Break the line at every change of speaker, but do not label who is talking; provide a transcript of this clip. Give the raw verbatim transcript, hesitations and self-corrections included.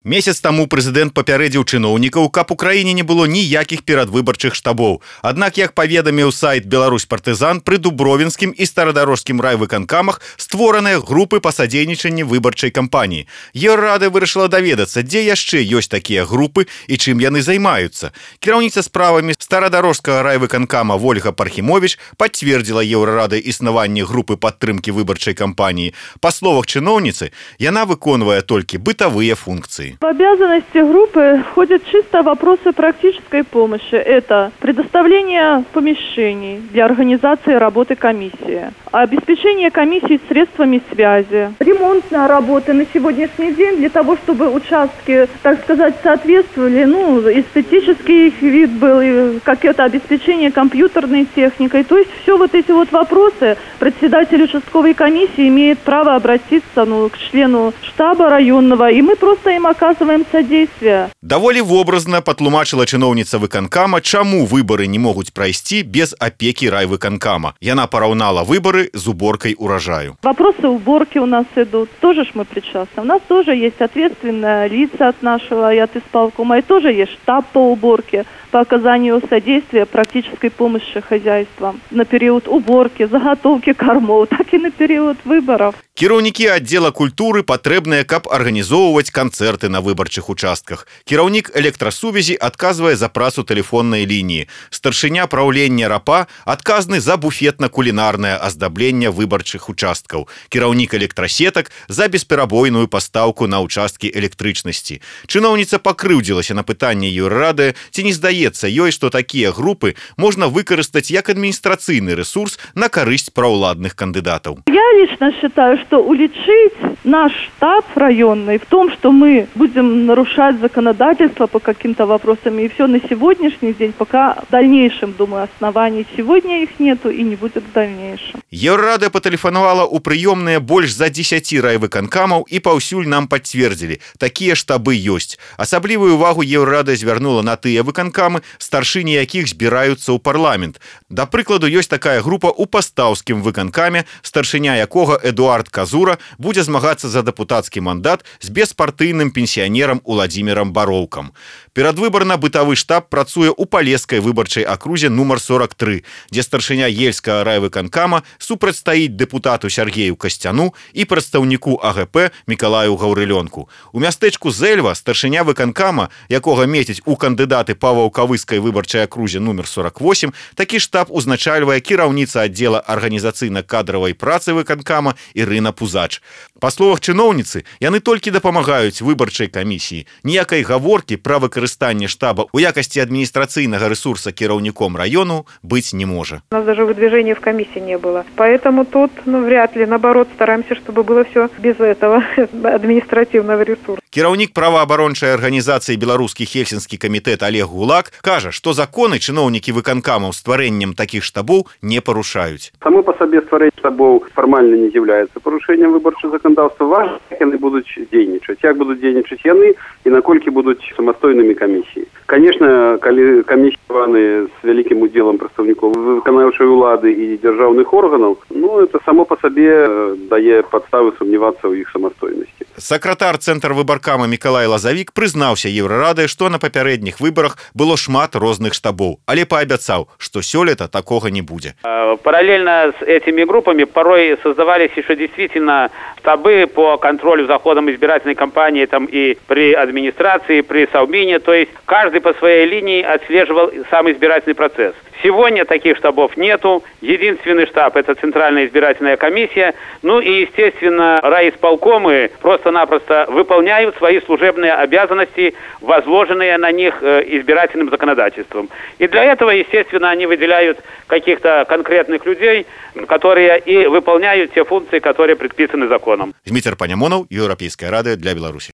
Месяц таму прэзідэнт папярэдзіў чыноўнікаў, каб у краіне не было ніякіх перадвыбарчых штабоў. Аднак, як паведаміў сайт «Беларусь партызан», пры дубровінскім і старадарожскім райвыканкамах створаныя групы па садзейнічанні выбарчай кампаніі. Еўрарада вырашыла даведацца, дзе яшчэ ёсць такія групы і чым яны займаюцца. Кіраўніца справамі старадарожскага райвыканкама Вольга Пархімовіч пацвердзіла Еўрарады існаванне групы падтрымкі выбарчай кампаніі. Па словах чыноўніцы, яна выконвае толькі бытавыя функцыі.
В обязанности группы входят чисто вопросы практической помощи. Это предоставление помещений для организации работы комиссии, обеспечение комиссии средствами связи, ремонтные работы на сегодняшний день для того, чтобы участки, так сказать, соответствовали, ну, эстетический вид был, какое-то обеспечение компьютерной техникой. То есть все вот эти вот вопросы председатель участковой комиссии имеет право обратиться, ну, к члену штаба районного, и мы просто им оказываем содействие.
Даволі вобразна патлумачыла чыноўніца выканкама, чаму выборы не могуць прайсці без опеки райвыканкама. Яна параўнала выборы з уборкой урожаю.
Вопросы уборки у нас идут. Тоже ж мы причастны. У нас тоже есть ответственные лица от нашего и от исполкома, и тоже есть штаб по уборке, по оказанию содействия практической помощи хозяйствам на период уборки, заготовки кормов, так и на период выборов.
Кіраўнікі аддзела культуры патрэбныя, каб арганізоўваць канцэрты на выбарчых участках. Кіраўнік электрасувязі адказвае за працу тэлефоннай лініі. Старшыня праўлення РАПа адказны за буфетна-кулінарнае аздабленне выбарчых участкаў. Кіраўнік электрасетак за бесперабойную пастаўку на ўчасткі электрычнасці. Чыноўніца пакрыўдзілася на пытанне Еўрарады, ці не здаецца ёй, што такія групы можна выкарыстаць як адміністрацыйны рэсурс на карысць праўладных кандыдатаў.
Я лично считаю, что уличить наш штаб районный в том, что мы будем нарушать законодательство по каким-то вопросам, и все на сегодняшний день, пока в дальнейшем, думаю, оснований сегодня их нету и не будет в дальнейшем.
Еўрарада патэлефанавала ў прыёмныя больш за дзесяці райвыканкамаў і паўсюль нам пацвердзілі, такія штабы ёсць. Асаблівую увагу Еўрарада звярнула на тыя выканкамы, старшыні якіх збіраюцца ў парламент. Да прыкладу, ёсць такая група ў пастаўскім выканкаме, старшыня якога Эдуард Казура будзе змагацца за дэпутацкі мандат з беспартыйным пенсіянерам Уладзімірам Бароўкам. Перадвыбарна-бытавы штаб працуе ў палескай выбарчай акрузе нумар сорок тры, дзе старшыня ельскага райвыканкама супрацьстаіць дэпутату Сергею Касцяну і прадстаўніку АГП Мікалаю Гаўрылёнку. У мястэчку Зэльва старшыня выканкама, якога мецяць у кандыдаты па ваўкавыскай выбарчай акрузе нумар сорок восем, такі штаб узначальвае кіраўніца аддзела арганізацыйна-кадравай працы выканкама Ірына Пузач. Па словах чыноўніцы, яны толькі дапамагаюць выбарчай камісіі. Ніякай гаворкі пра выкарыстанне штаба у якасці адміністрацыйнага ресурса кіраўніком району быть не можа.
У нас даже выдвижения в комиссии не было. Поэтому тут, ну, вряд ли. Наоборот, стараемся, чтобы было все без этого административного ресурса.
Кіраўнік праваабарончай арганізацыі «Беларускі хельсінскі камітэт» Олег Гулак кажа, што законы чыноўнікі выканкамаў стварэннем такіх штабоў не парушаюць.
Само по себе стварэнне штабоў фармальна не з'яўляецца парушэннем выбарчага заканадаўства. Важна, як яны будуць дзейнічаць, як будуць дзейнічаць яны і наколькі будуць самастойнымі камісіі. Конечно, калі камісіяваны з вялікім удзелам прадстаўнікоў выканаўчай улады і дзяржаўных органаў, ну, это само по себе дае падставы сумнявацца ў іх самастойнасці.
Сакратар цэнтра выбаркама Мікалай Лазавік прызнаўся Еўрарадай, што на папярэдніх выбарах было шмат розных штабоў, але паабяцаў, што сёлета такога не будзе.
Параллельно с этими группами порой создавались еще действительно штабы по контролю за ходом избирательной кампании там и при администрации, при Совмине, то есть каждый по своей линии отслеживал сам избирательный процесс. Сегодня таких штабов нету. Единственный штаб – это Центральная избирательная комиссия. Ну и, естественно, райисполкомы просто-напросто выполняют свои служебные обязанности, возложенные на них избирательным законодательством. И для этого, естественно, они выделяют каких-то конкретных людей, которые и выполняют те функции, которые предписаны законом.
Дмитрий Панямонов, Европейская рада для Беларуси.